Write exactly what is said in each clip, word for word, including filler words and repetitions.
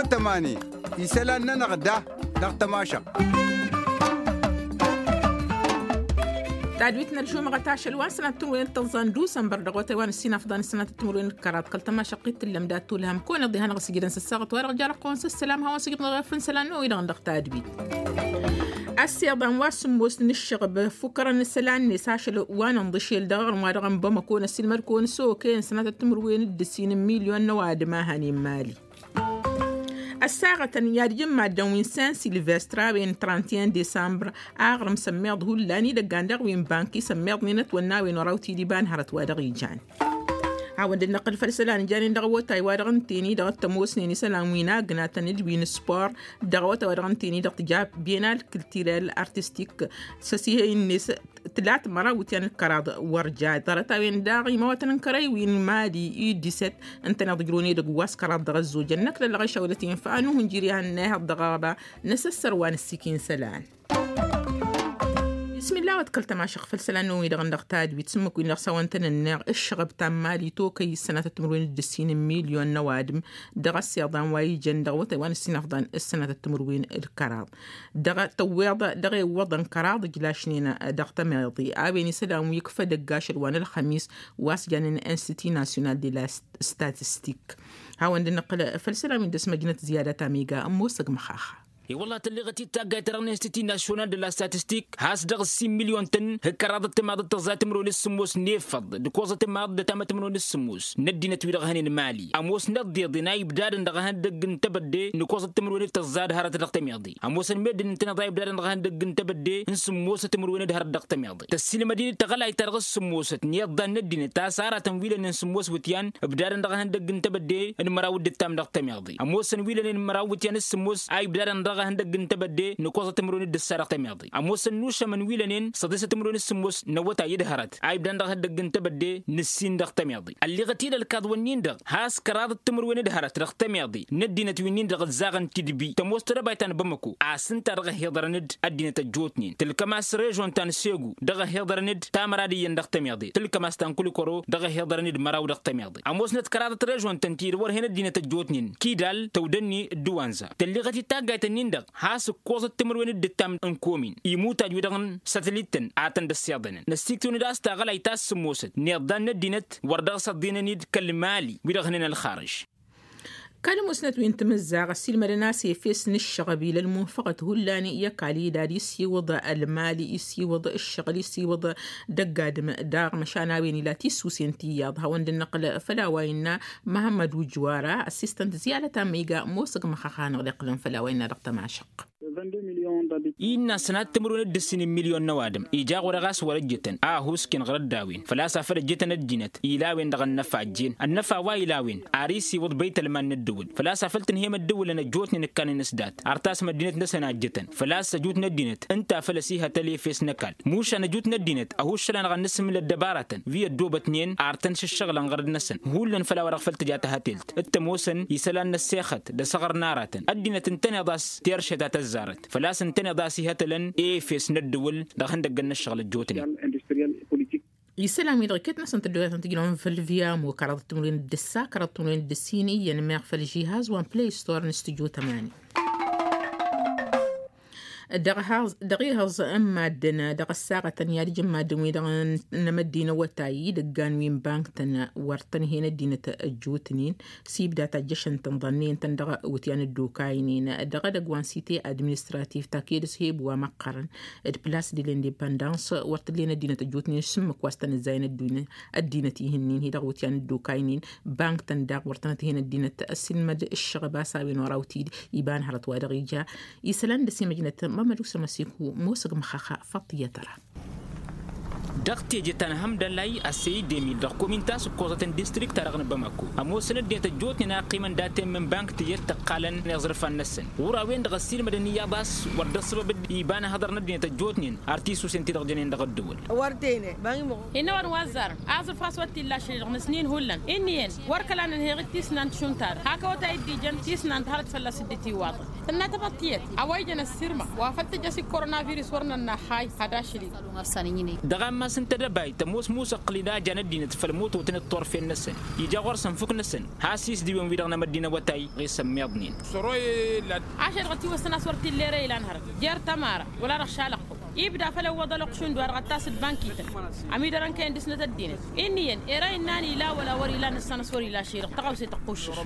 Tămani isălan-nănăɣ da dăɣ-tămašăɣt. Tadwit n-ălžumăɣăt ašăl wa n-sănatăt timǝrwen d-tăẓẓa n-dusănbăr dăɣ-awătay wa n-ǝssin afḍan n-sănatăt timǝrwen d-kăraḍ kăl-tămašăɣt-i t-tǝllăm dat-olhăm kăwăn-iḍihănăɣ s-ijrăn s-ăssaɣăt wa dăɣ-jar ăqqoon s-ăssălam hawăn-sǝjrǝdăn ɣef n-isălan n-oy-dăɣ dăɣ-tadwit. Ăssiiḍan wa s-sǝmmos n-ǝššăɣăb ǝffukărăn isălan-net ašăl wa n-inḍǝšel dăɣ-aɣrǝm wa dăɣ-n bamăko n-ăssiilmăd-kăwăn s-okăyăn sănatăt timǝrwen d-ǝssin n-milyon n-ăwadǝm a hăn immali. Ăssaɣătăn i-ad-ijǝn maddǝn wi n-saint silvestre a-wen trente et un desambr aɣrǝm sămmeḍ hullan idăggan daɣ wi n-banki sămmeḍnen ătwănna a-wen oraw tidi iba n-hărăt wa dăɣ-ijan. Hawăn-dd-năqqǝl făll-isălan ijanen dăɣ-awătay wa dăɣ-ǝnten-i-dăɣ t-ămoosnen isălan wi n-agnatăn d-wi n-spor dăɣ-awătay wa dăɣ-ǝnten-i-dăɣ tǝja bienal culturel artistik s-ăsihăy-net tǝlat măraw iwǝtyan d-kăraḍ wăr ja ḍarăt-a-wen daɣ imawătăn n-kărăy wi n-mali i-diset. Ǝntăneḍ ǝjrǝwăn edăgg wa s-kăraḍ dăɣ-ăzzojăn năkk lălɣăy šawlăt infa anuh n-jiri a hănnayhăḍ dăɣ-aɣba n-asăssăr wa n-ăssikin isălan. Ismilla a-wăt kăl-tămašăɣt făll-isălan n-oy-dăɣ dăɣ-tadwit s-ǝmmǝk wi n-dăɣ s-a-wăn tăn-ǝnneɣ ǝššăɣăb ta n-mali tokăy s-sănatăt timǝrwen d-ǝssin n-milyon n-ăwadǝm dăɣ-ăssiḍan wa ijăn dăɣ-awătay wa n-ǝssin afḍan s-sănatăt timǝrwen d-kăraḍ. Dăɣ-tăwweḍ dăɣ-ewwăḍăn kăraḍ ǝjlašnen dăɣ-tămeḍe a-wen isălan wi ǝkfăd ăgg ašăl wa n-ălxămis wa s-janen institut national de la statistik. Hawăn-dd-năqqǝl făll-isălan wi n-dăr-s măjnăt ziyada ta miga ămoosăg măxaxa. I-wălla tălleɣăt-dd taggayt-ta-dăɣ n-institut national de la statistik has-dăɣ ǝssin milyon-tăn. Hǝkkăraḍăt timaḍ d-tăẓẓa timǝrwen d-sǝmmos n-efăḍ d-ikoẓăt timaḍ d-ătamăt timǝrwen d-sǝmmos n-ăddinăt wi-dăɣ hănen mali ămoosnăt d-iḍen a ibdadăn dăɣ-ehăndăgg n-tebădde n-ikoẓăt timǝrwen d-tăẓẓa d-hărăt dăɣ-temeḍe. Ămoosăn meddǝn ǝntăneḍ a ibdadăn dăɣ-ehăndăgg n-tebădde n-sǝmmosăt timǝrwen d-hărăt dăɣ-temeḍe tăssilmăd-in-dd taɣălayt-ta-dăɣ s-sǝmmosăt n-iḍḍan n-ăddinăt a-s aratăn wi lănen sǝmmos iwǝtyan ǝbdadăn dăɣ-ehăndăgg n-tebădde n-măraw d-ǝttam dăɣ-temeḍe. Ămoosăn wi lănen măraw iwǝtyan s-sǝmmos a ibdadăn dăɣ-ehăndăgg n-tebădde n-ikoẓăt timǝrwen d-ǝssa dăɣ-temeḍe. Ămoosăn nušămăn wi lănen săḍisăt timǝrwen s-sǝmmos n-awătay d-hărăt a ibdadăn dăɣ-ehăndăgg n-tebădde n-ǝssin dăɣ-temeḍe. Ălleɣăt-dd ălkaḍ-wǝnnin-dăɣ has-kăraḍăt timǝrwen d-hărăt dăɣ-temeḍe n-ăddinăt wi-nin-dăɣ ǝzzaɣăn tidbi tămoos tedăbayt ta n-bamăko a-s ǝnta dăɣ-ăhiḍărăn-dd ăddinăt ăjjootnen tǝlkăm-as režon ta n-segu dăɣ-ăhiḍărăn-dd tamăra d-iyyăn dăɣ-temeḍe tǝlkăm-as ta n-kulikoro dăɣ-ăhiḍărăn-dd măraw dăɣ-temeḍe. Ămoosnăt kăraḍăt režon-tăn ti d-wăr hen ăddinăt ăjjootnen kidal tăwdănni d-wanza tălleɣăt-dd taggayt-ǝnnin-dăɣ has-ǝkkoẓăt timǝrwen d-ǝttam n-komin imutaj-wi-dăɣ n-sătlit-tăn a tăn-dd-ăssiḍănăn năssiktǝwăn-dd a-s taɣălayt ta s-sǝmmosăt n-iḍḍan n-ăddinăt wăr dăɣ-s ăḍḍinăn-dd kăl-mali wi-dăɣ hǝnen ălxarǝž. Kăl-musnăt wi n-timǝzzaɣ ăssiilmădăn a-s efes n-ǝššăɣăb ila ălmunfăɣăt hullan i-ăkall idad isiwǝḍ ălmal isiwǝḍ ǝššăɣǝl isiwǝḍ dăgg-adǝm daɣ măšan a-wen ila tisusen ti iyyăḍ hawăn-dd-năqqǝl făll-a-wa innă măhămmăd ujwara ăssistăn tǝziyalăt a măyga ămoosăg măxăx a hanăɣ-dd-iqqǝlăn făll-a-wa innă dăɣ-tămašăɣt. Innă sănat timǝrwen d-ǝssin n-milyon n-ăwadǝm ija ɣur-e ɣas wăr-ăjjătăn a ăhuusken ɣur-ăddawin făl-a-s afăl ăjjătăn ăddinăt ila a-wen-dăɣ ănnăfa ăjjeen ănnăfa wa ila a-wen ar isiwǝḍ băytălman n-ǝddǝwǝl făl-a-s afăl tǝnhǝyăm ăddǝwǝlăn ăjjootnen ǝkkanen s-dat ar tasăm ăddinăt-năsăn a ăjjătăn făl-a-s ăjut n-ăddinăt ǝnta a făl ăsihătăl efes n-ăkall mušan ăjut n-ăddinăt ăhuššăl-anăɣ ad-nǝsǝmǝl ăddăbaratăn wi ăddoobătnen ar tăn-šǝššăɣǝlăn ɣărăt-năsăn hullan făll-a-wa-dăɣ făl tǝja tahătelt t-ămoosăn isălan n-ăssexăt d-asăɣăr n-aratăn ăddinăt ǝntăneḍ a-s terše ta tăzzarăt făl-a-s ǝntăneḍ a-s ihătălăn efes n-ăddǝwǝl dăɣ-ihăndăggăn n-ǝššăɣǝl ăjjootnen. Isălan-wi-dăɣ iket-năsăn tăddoyatăn tǝjrăwăn făll-viamo kăraḍăt timǝrwen d-ǝssa kăraḍăt timǝrwen d-ǝssin iyyăn meɣ făll-žihaz wa n-play store n-stujo tămani. Dăɣ-ihăẓ n-maddǝn dăɣ-ăssaɣătăn i-ad-ǝjǝn maddǝn-wi-dăɣ n-amăddin awătay idăggan wi n-bank-tăn wăr tăn-hen ăddinăt ăjjootnen s-ibda tajjăšăn-tăn ḍannăyăn-tăn dăɣ-iwǝtyan ăddokaynen dăɣ-edăgg wa n-site administratif ta ked-s heb wa măqqărăn d-plas de lindepandans wăr t-ǝllen ăddinăt ăjjootnen s-ǝmmǝk wa s-tăn-ǝzzayăn ăddinăt ih'-ǝnnin hi-dăɣ iwǝtyan ăddokaynen. Bank-tăn daɣ wăr tănăt-hen ăddinăt ăssilmăd ǝššăɣăb a-s a-wen oraw tid iba n-hărăt wa dăɣ-ija isălan dăr-s imăjnăt mămmăd usămăsiku. Mosăg măxăxa faṭiyăt ăra. Dăɣ-teje ta n-hămdăllay ăsseyăy demil dăɣ-komin ta s-ǝkkoẓăt n-distrikt-ta-dăɣ n-bamako ămoosăn ăddinăt ăjjootnen a ăqqimăn daten mǝnbank tǝjet tăqqalăn iẓrǝfan-năsăn ɣur-a-wen-dăɣ ăssiilmădăn iyyăḍ a-s wăr dd-ăṣṣăbăb d-iba n-ehăḍăr n-ăddinăt ăjjootnen ar tisusen ti-dăɣ jănen dăɣ-ăddǝwǝl. Wăr tene băngi măɣu. Hin-awăn wa ăzzarăn aẓrǝf a-s wăr t-illa ašăl-i-dăɣ nǝsnin hullan inn'-iyyăn wăr kăla nǝnheɣ-dd tisnan d-šund ta-dăɣ hak awătay dd-ijăn tisnan d-hărăt fălla-s dd-tiwaḍăn. Tǝnna tamăḍt tiyyăt a-wa ijăn ăssirma wa făl tǝjăs ikkorona virus wăr nănna. Hay had ašăl-i-dăɣ. Dăɣ-a Asǝntădăbay tămoos musăqqǝl-in a jan ăddinăt făll-mututăn d-turfen-năsăn ija ɣur-săn fuk-năsăn. Has-isdǝwen-wi-dăɣ n-amăddin awătay ɣesăn miḍnen. Ašăl dăɣ-tiwăstăn a-s wăr t-illa ere ilan hărăt jer-tămara wăla dăɣ-šalăqqu ibda făll-ăwwăḍ ălwăqq šund wa-dăɣ ăttas d-bankităn. Ămidărăn kăyăn dăɣ-snăt ăddinăt inn'-iyyăn era innă an ila wăla wăr-ila nǝssan a-s wăr-ila ašăl-i-dăɣ tăɣawse tăqquššăš.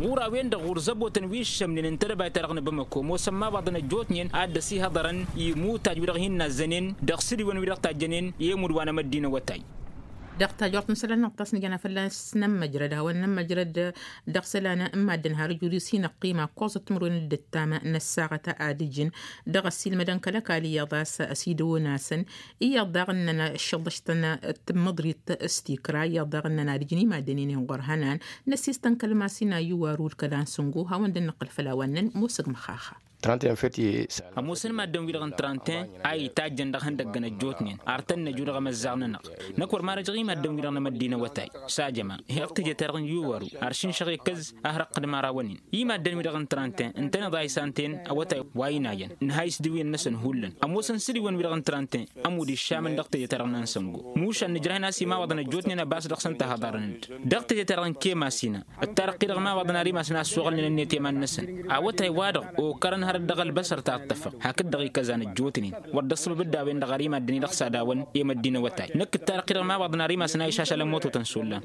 Ɣur-a-wen-dăɣ ɣur-zăbotăn wi ǝššămnen n-tedăbayt-ta-dăɣ n-bamăko ămoosăn mabăḍăn ăjjootnen ad-dd-ăsihăḍărăn i-imutaj wi-dăɣ hin-nazzănen dăɣ-sǝdiwăn wi-dăɣ tajjănen i-imud wa n-amăddin awătay. Dăɣ-tajort n-isălan-năɣ tasnǝjăn a fălla-s nămmăjrăd a-wa n-nămmăjrăd dăɣ-isălan n-maddǝn har ǝjud-i s-hin-ăqqima kuẓăt timǝrwen d-ǝttam n-ăssaɣăt ad-ǝjǝn dăɣ-ăssiilmădăn kăl-ăkall iyyăḍ a-s ăsidăwăn-asăn. Iyyăḍ daɣ ǝnnăn ăššăḍăštăn tǝmmǝḍrit s-tikra iyyăḍ daɣ ǝnnăn ad-ǝjǝn i-maddǝn-in inɣur hănan. Năssistăn kăl-masin a iwarul kăla n-sǝngo hawăn-dd-nǝqqǝl făll-a-wa ǝnnăn musǝg măxaxa. Ămoosăn maddǝn-wi-dăɣ n-trănten a itajjăn dăɣ-ihăndăggăn ăjjootnen ar tăn-năju dăɣ-emăzzaɣ-nănăɣ. Năkk wăr marăjăɣ i-maddǝn-wi-dăɣ n-amăddin awătay s-ajăma. Heɣ teje-ta-dăɣ n-iwaru ar šǝnšăɣ i-kăz a hărăqqǝd mara wăn-in i-maddǝn-wi-dăɣ n-trănten ǝntăneḍ a isantăyăn awătay wa inayăn. Nǝha isdǝwǝyăn-năsăn hullan ămoosăn sǝdiwăn-wi-dăɣ n-trănten ămudd iššamăn dăɣ-teje-ta-dăɣ n-ansăngo. Mušan nǝjrăhăn a-s imawăḍăn ăjjootnen ăbas dăɣ-săn tahăḍarăn-dd dăɣ-teje-ta-dăɣ n-kemasina. Ǝttarăqqi dăɣ-imawaḍăn ar imasăn a ăssoɣălnen ănniyăt i-iman-năsăn. Awătay-wa-dăɣ okărăn hărăt dăɣ-ălbăsăr ta ǝṭṭăfăɣ hakd-dăɣ ikăzan ăjjootnen. Wăr dd-ăṣṣăbăb d-a-wen-dăɣ ar i-maddǝn-i-dăɣ s-ad-awăn i-măddin awătay năkk ǝttarăqqi dăɣ-imawaḍăn ar imasăn a išašalăn mototăn s-ollan.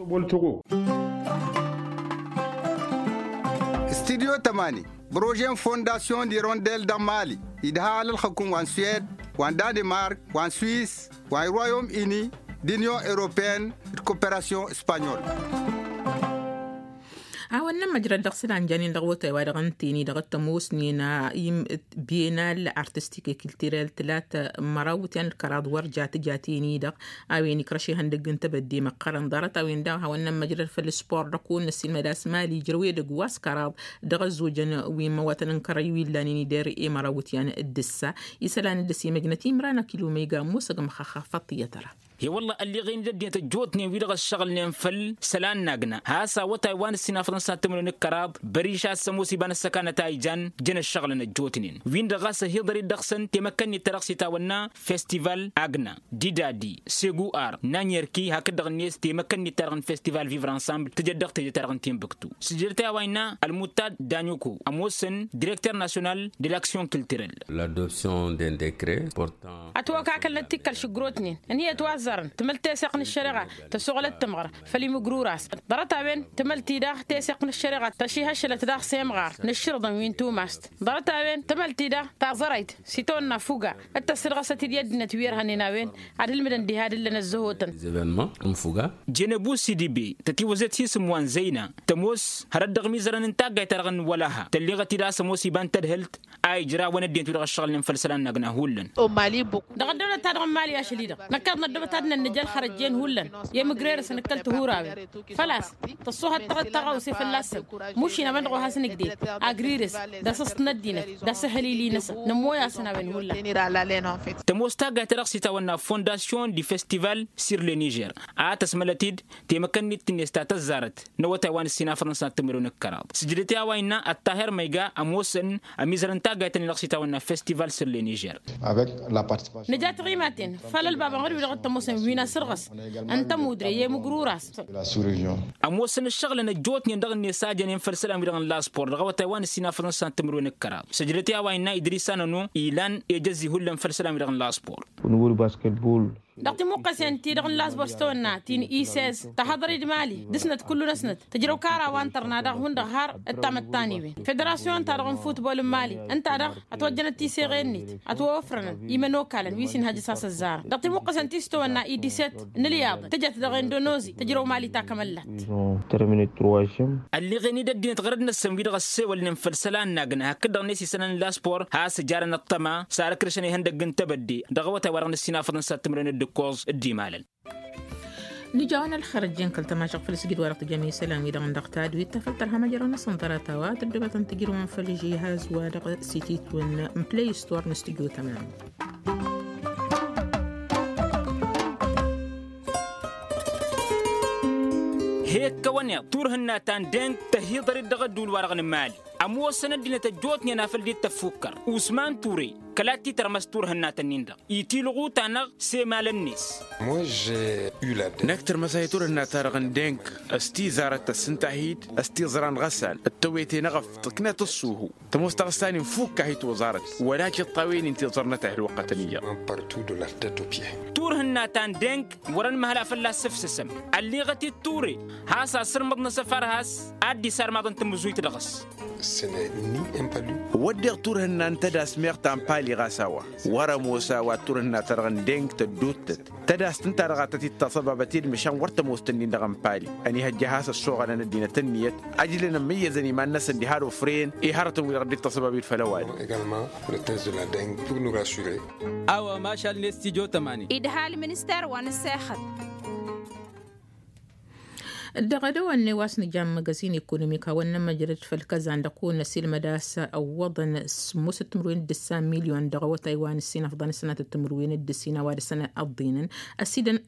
Studyo tămani projet n-fondasyon d-irondel dăɣ-mali idha alălxăkum wa n-suwed wa n-danemark wa n-swis wa n-royom ini d-inyon europeyăn d-koperasyon s-panyol. A-wen n-ămmăjrăd dăɣ-isălan janen dăɣ-awătay wa dăɣ-ǝnta-en-i-dăɣ t-ămoosnen a-i bienal artistik i-kiltirel tǝlat măraw iwǝtyan d-kăraḍ wăr jat tǝjat-en-i-dăɣ. A-wen ikrăš ihăndăgg n-tebădde măqqărăn ḍarăt-a-wen daɣ hawăn-nămmăjrăd făll-sport dăɣ-kăwăn-năssiilmăd a-s mali ijrăw edăgg wa s-kăraḍ dăɣ-ăzzojăn wi n-imăwatăn n-kărăy wi ǝllanen-i der i-măraw iwǝtyan d-ǝssa. Isălan dd-ăsimăjnăt imran akilumăyga musăg măxăxxăf ăṭṭiyyăt ăra. He-wălla ălleɣen-dd ăddinăt ăjjootnen wi-dăɣ ăššăɣǝlnen făll-isălan n-agna has-awătay wa n-ǝssin afăḍăn s-ad-tǝmrǝwăn d-kăraḍ. Băriš a-s ămoos iba n-ăssăkanăt a ijan jăn ăššăɣǝlăn ăjjootnen-win-dăɣ ɣas ăhiḍăr-dd dăɣ-săn temăkkănnit ta dăɣ-s itawănna festival agna didadi seguar n-anyărki hakd-dăɣ-net temăkkănnit ta dăɣ-n festival vivre ensemble tǝjăt dăɣ-teje ta dăɣ-n timbuktu. Sǝjdăt i-a-wa innă ălmuttad danyuku ămoosăn direkter nasyonal de l-aksyon kiltirel. L'adoption d'un décret portant ătwăkakălnăt tikkăl šǝggrotnen ǝnhǝyăt wa ăzzarăn tǝmǝl teseɣt n-ăššăreɣa tăsoɣlăt tǝmɣăr făll-imǝgrura-s. Ḍarăt-a-wen tǝmăl-t-i-dăɣ teseɣt n-ăššăreɣa tăšihăššălăt daɣ s-emɣar n-ǝššǝrǝḍăn wi n-tumast. Ḍarăt-a-wen tǝmăl-t-i-dăɣ taẓărayt s-itawănna fuga d-tăssǝdɣăsăt-dd i-ăddinăt wi ărhănnen a-wen ad-ǝlmǝdăn diha d-ǝllăn ăzzăhotăn. Jănăbu sidibe tătiwăzet hi-isǝm wa n-zăyna tămoos hărăt dăɣ-imizărăn n-taggayt-ta-dăɣ n-wălaha tălleɣăt-dd a-s ămoos iba n-tadhǝlt a ijrawăn ăddinăt wi dăɣ-ăššăɣǝlnen făll-isălan n-agna hullan. Dăɣ-ăddăwlăt-ta-dăɣ n-mali ašăl-i-dăɣ năkkaḍ n-ăddăwlăt ad-nănnăj ălxărăt jen hullan i-imǝgrerăsăn d-kăl-tihurawen făl-a-s tăṣṣuhăt tăɣăwse fălla-săn. Mušin a-wen-dăɣ wa has-nǝgded agrirǝs d-asǝst n-ăddinăt d-asǝhhǝlili-năsăn nămmoy-asăn a-wen hullan. Tămoos taggayt ta dăɣ-s itawănna fondasyon di festival sur le niger a tăsmălăt-dd temăkkănnit-net ta tăzzarăt n-awătay wa n-ǝssin afăḍăn s-ad-tǝmrǝwăn d-kăraḍ sǝjdăt i-a-wa innă ăṭṭaher măyga ămoosăn ămizărăn taggayt-ǝnnin dăɣ-s itawănna festival sur le niger. Nǝja tiɣimaten făll-ălbabăn ɣur-wi-dăɣ t-ămoosăn wi n-asărɣǝs n-tămudre i-imǝgrura-s. Ămoosăn ǝššăɣǝlăn ăjjootnen dăɣ-net s-a jănen făll-isălan-wi-dăɣ n-laspor dăɣ-awătay wa n-ǝssin afăḍăn s-ad-tǝmrǝwăn d-kăraḍ sǝjdăt i-a-wa innă idris anănu ilan ejăzzi hullan făll-isălan-wi-dăɣ n-laspor. Dăɣ-timuqqăsen-ti-dăɣ n-lasbor s-tawănna ti n-isez tahăḍăr-dd mali dăɣ-snăt kullu-năsnăt tǝjrăw kara wa n-tărna daɣ hundăɣ har d-tamăttaniwen federasyon-ta-dăɣ n-futbol n-mali ǝnta-dăɣ ătwăjjănăt tiseɣe-net ătwăwăfrănăn imănokalăn wi s-inhăjjăs a-s ăzzarăn dăɣ-timuqqăsen ti s-tawănna i-diset n-ǝlyaḍ tǝjăt dăɣ-indonozi tǝjrăw mali takămăllat. Ălleɣen-dd ăddinăt ɣărăd-năsăn wi-dăɣ ăssewălnen făll-isălan n-agna hakd-dăɣ-net isălan n-laspor has-ǝjarăn ăṭṭăma s-ar ǝkrǝšăn ihăndăgg n-tebădde dăɣ-awătay wa dăɣ-nǝssin afăḍăn s-ad-tǝmrǝwăn d-ǝkkoẓ d-imalăn. Nǝjawăn ălxărăt jen kăl-tămašăɣ făll-sǝjǝd wa dăɣ-tǝjjăm isălan-wi-dăɣ n-dăɣ tadwit ta făl tărha măjrăw-năsăn ḍarăt-a-wa tăddobătăn tǝjrǝwăn făll-žihaz wa dăɣ-sititwăn n-play store n-studyo tămam. He-ǝkkăwăn-eḍ turhǝnna ta n-deng tăhiḍăr-dd dăɣ-ădduul-wa-dăɣ n-mali. Ămoosăn ăddinăt ăjjootnen a făl dd-tăffukkăr usman ture kăla t-titărmăs turhǝnnat-nin-dăɣ itilɣu-ta-năɣ s-emalăn-net. Năkk tărmăsay turhǝnnat-ta-dăɣ n-deng s-tizarăt tăssǝnta-hi-dd s-tiẓra n-ɣăsal d-tăwete n-eɣăf tǝknăt ǝṣṣuhu. Tămoos taɣǝsta-nin fukk-ahi toẓarăt wăla cǝṭṭawen-in tiẓăr n-ătahǝl wăqqătăn iyyăḍ. Turhǝnna ta n-deng wăr-ănmăhăl a fălla-s sǝfsǝsăm ălliɣăt-dd ture has-asǝrmǝḍ n-asăfar has-ad-dd-isarmaḍăn tamǝzuyt dăɣ-s. Wădden turhǝnna n-tădas meɣ ta n-pali ɣas a-wa wăr-ămoos a-wa turhǝnna-ta-dăɣ n-deng tădduuttăt tădast ǝnta-dăɣ a tăt-dd-taṣăbabăt i-dd măšan wăr tămoos tǝnnin-dăɣ n-pali. Ănihăjja a has-ăssoɣălăn ăddinăt ǝnniyăt ăjlăn ămmăyyăzăn iman-năsăn diha d-ofren i-hărătăn-wi-dăɣ dd-taṣăbabit făll-ăwadǝm. A-wa mašal n-estidyo tămani. Idhal minister wa n-sexăt. Dăɣ-edăwănne wa s-nǝja n-măgăzin ekonomik hawăn-nămăjrăd făll-kăzan dăɣ-kăwăn-năsilmăd a-s ăwwăḍăn sǝmmosăt timǝrwen d-ǝssa milyon dăɣ-awătay wa n-ǝssin ăfḍăn sănatăt timǝrwen d-ǝssin a-wa dăr-săn ăḍḍinăn.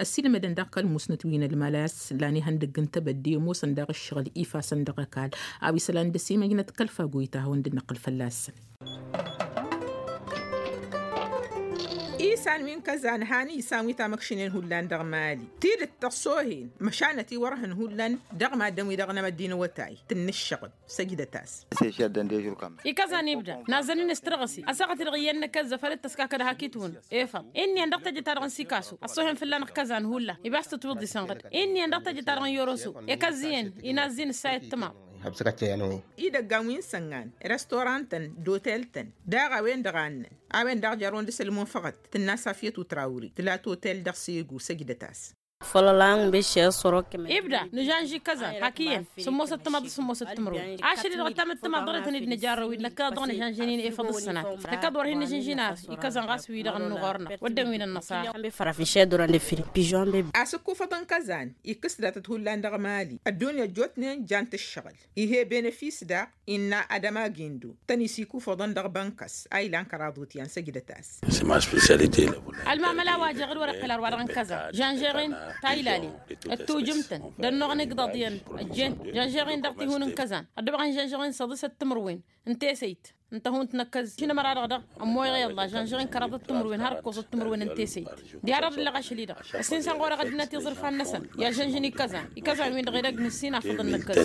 Ăsidămădăn daɣ kăl-musnăt wi n-ălmal a-s lan ihăndăgg n-tebădde ămoosăn daɣ ǝššăɣǝl ifasăn dăɣ-ăkall a-wa isălan d-ăsimăjnăt kăl-fagoyta hawăn-dd-năqqǝl fălla-săn. Isan wi n-kăzan han isan wi tamăkšinen hullan dăɣ-mali tidǝt tăṣṣohen măšanăt iwărhăn hullan dăɣ-maddǝn wi-dăɣ n-amăddin awătay tǝnnǝššăɣǝb. Săjdăt-as. Ikăzan ibda nazăn-in s-tărɣǝsi ăssaɣăt-i-dăɣ iyyăn n-akăzzăf ad-dd-tăskakăd hak itwǝn efăḍ. Inniyăn dăɣ-tejăt-ta-dăɣ n-sikasu ăṣṣohen fǝllan ɣǝkkăzan hullan ibas tǝtwǝḍ isănɣǝd. Inniyăn dăɣ-tejăt-ta-dăɣ n-yoroso ekăzzǝyăn inazzi n-ǝssay ăttămaḍ. Idăggan wi n-săngan restorantăn d-otel-tăn daɣ a-wen-dăɣ a ǝnnăn a-wen-dăɣ jarrăwăn dăɣ-s ălmunfăɣăt tǝnna safiyăt utrawri tǝla totel dăɣ-segu. Săjdăt-as. Fălălăn băššer sărok. Ibda nǝžanži kăzan hak iyyăn sǝmmosăt tămaḍ d-sǝmmosăt timǝrwen ašăl-i-dăɣ ăttamăttămaḍ dăɣ-ităn-dd-nǝjarrăw-dd năkkăneḍ-dăɣ nǝžănžăn-in efăḍ d-sănat. Năkkăneḍ wăr hin-nǝžǝnži n-ar ikăzăn ɣas wi-dăɣ n-nuɣur-năɣ wădden wi n-ănnăṣaɣ. Asǝkkufăḍ n-kăzan ikkǝs datăt hullan dăɣ-mali ăddunya ăjjootnen jant ǝššăɣǝl. Ih' e-benefis daɣ innă adămagindu tăn-isikufăḍăn dăɣ-bănkăs a ilan kăraḍ utyan săjdăt-as. Ălmamăla wa jeɣ d-wăr-iqqǝl ar wa-dăɣ n-kăzan žănžeɣ-in ta ilalen d-tujǝmt-tăn d-ănnuɣăn igḍaḍ iyyăn ăjjeen žănžeɣ-in dăɣ-tihun n-kăzan ăddubăɣ n-žănžeɣ-in săḍisăt timǝrwen n-tesăyt n-tăhunt n-ăkkăz šinămăra-dăɣ daɣ ămmoyăɣ i-ălla žănžăɣ-in kăraḍăt timǝrwen har ǝkkoẓăt timǝrwen n-tesăyt. Diha-dăɣ d-illeɣ ašăl-i-dăɣ ăssinsăn ɣur-e ɣăddinăt iẓrǝfan-năsăn i-ad-žănžăn ikăzan ikăzan-win-dăɣ edăgg n-ǝssin afǝḍăn n-ăkkăz.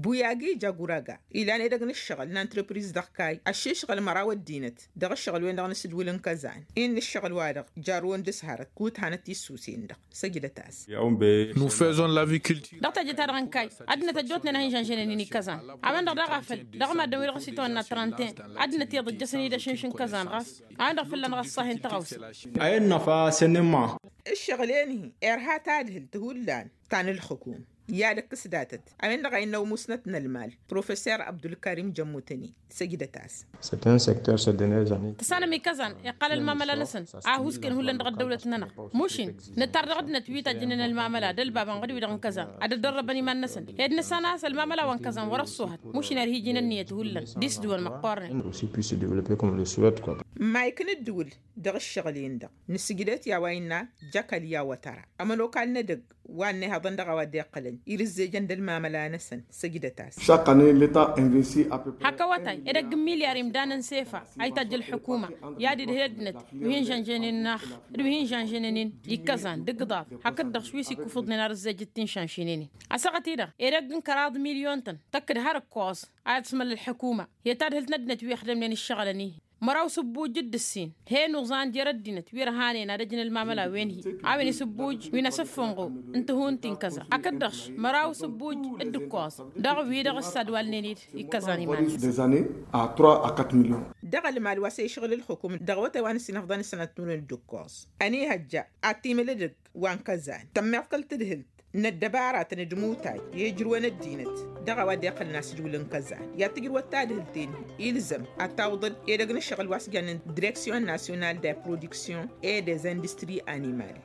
Buyagi jaguraga ilan edăgg n-ǝššăɣǝl n-antrăpriz dăɣ-kay ăššišɣǝl măraw ăddinăt dăɣ-ǝššăɣǝl-wen-dăɣ n-asǝdwǝl n-kăzan-in n-ǝššăɣǝl-wa-dăɣ jarrăwăn d-ǝshărăt kud hanăt-tissusen-dăɣ. Săjdăt-as. Nufezon laviculture. Dăɣ-teje-ta-dăɣ n-kayy ăddinăt ăjjootnen a hin-žănžănen-in ikăzan a-wen-dăɣ daɣ a făl dăɣ-maddǝn-wi-dăɣ s-itwănna trănten ăddinăt iyyăḍ ăjjăsăn-dd ašǝnš n-kăzan ɣas a-wen-dăɣ fălla-năɣ ăṣṣahen tăɣawse. Ăyy n-năfa sănnǝmma. Ǝššăɣǝl-en-hi irha tadhǝlt hullan ta n-ǝlxǝkum i-ad-ǝkkǝs datăt a-wen-dăɣ a innă umusnăt n-ălmal professor abdulkarim jămmutăni. Săjdăt-as. Tăsanăm ikăzan iqqal ălmamăla-năsăn a husken hullan dăɣ-ăddăwlăt-nănăɣ. Mušin nǝttar dăɣ-ăddinăt wi tajjǝnen ălmamăla d-ălbabăn ɣǝd-wi-dăɣ n-kăzan ad-ăddărrăbăn iman-năsăn ed nǝssan a-s ălmamăla wa n-kăzan wăr-ăṣṣuhăt. Mušin ar hi-iji n-ǝnniyăt hullan d-isdǝwăn măqqornen. Mayk n-ǝddǝwǝl dăɣ-ǝššăɣǝl-en-dăɣ nǝsǝjdăt i-a-wa innă jakăl i-awătăra ămănokal n-edăgg wa ănnihăḍăn dăɣ-a-wa dd-iqqălăn irǝzzejăn d-ălmamăla-năsăn. Săjdăt-as. Hak awătay edăgg n-milyar imdanăn s-efa a itajj ălḥukuma i-ad-idhǝl ăddinăt wi hin-žănžănen n-ax d-wi hin-žănžănen-in d-ikkăẓan d-igḍaḍ hakd-dăɣ wi s-ikufǝḍnen arǝzzejăt ti n-šanšinen-in. Ăssaɣăt-i-dăɣ edăgg n-kăraḍ milyon-tăn tăkk-dd har ǝkkoẓ a iḍsmăl ălḥukuma i-tadhǝlt n-ăddinăt wi ixdămnen ǝššăɣǝlăn-i-hi. Măraw s-ǝbbuj d-ǝssin he n-uẓan jer-ăddinăt wi ărhanen ad-ăjǝn ălmamăla-wen-hi a-wen isǝbbuj wi n-asǝffunɣu n-tihun ti n-kăza hakd-dăɣ-š măraw s-ǝbbuj d-ǝkkoẓ dăɣ-wi-dăɣ ǝssadwalnen-dd ikkăẓan iman-năsăn. Dăɣ-ălmal wa s-ešɣǝl ǝlxǝkum dăɣ-awătay wa n-ǝssin ăfḍăn ăssanăt timǝrwen d-ǝkkoẓ ănihăjja ad-timǝl edăgg wa n-kăzan tămmeḍ kăl-tadhǝlt n-ăddăbaratăn d-imutay i-ijrǝwăn ăddinăt dăɣ-a-wa dd-iqqălăn asǝdwǝl n-kăzan i-ad-tǝjrǝwăt tadhǝlt-en-hi ilzăm ad-tawǝḍăd edăgg n-ǝššăɣǝl wa s-jannen direksyon nasyonal de produksyon et des industries animal.